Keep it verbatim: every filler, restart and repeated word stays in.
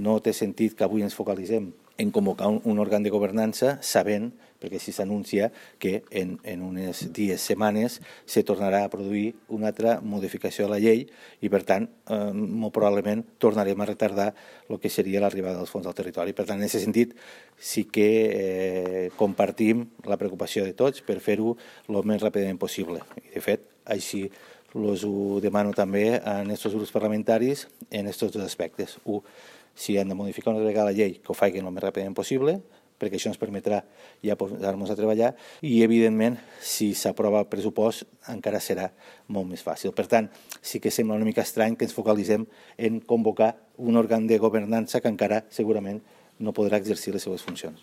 No té sentit que avui ens focalitzem en convocar un, un òrgan de governança sabent, perquè així s'anuncia, que en, en unes dies, setmanes, se tornarà a produir una altra modificació de la llei i, per tant, eh, molt probablement tornarem a retardar el que seria l'arribada dels fons al territori. Per tant, en aquest sentit, sí que eh, compartim la preocupació de tots per fer-ho el més ràpidament possible. I, de fet, així els ho demano també a aquests grups parlamentaris en aquests dos aspectes. Un, si han de modificar una vegada la llei, que ho facin el més ràpidament possible, perquè això ens permetrà ja posar-nos a treballar, i, evidentment, si s'aprova el pressupost, encara serà molt més fàcil. Per tant, sí que sembla una mica estrany que ens focalitzem en convocar un òrgan de governança que encara segurament no podrà exercir les seves funcions.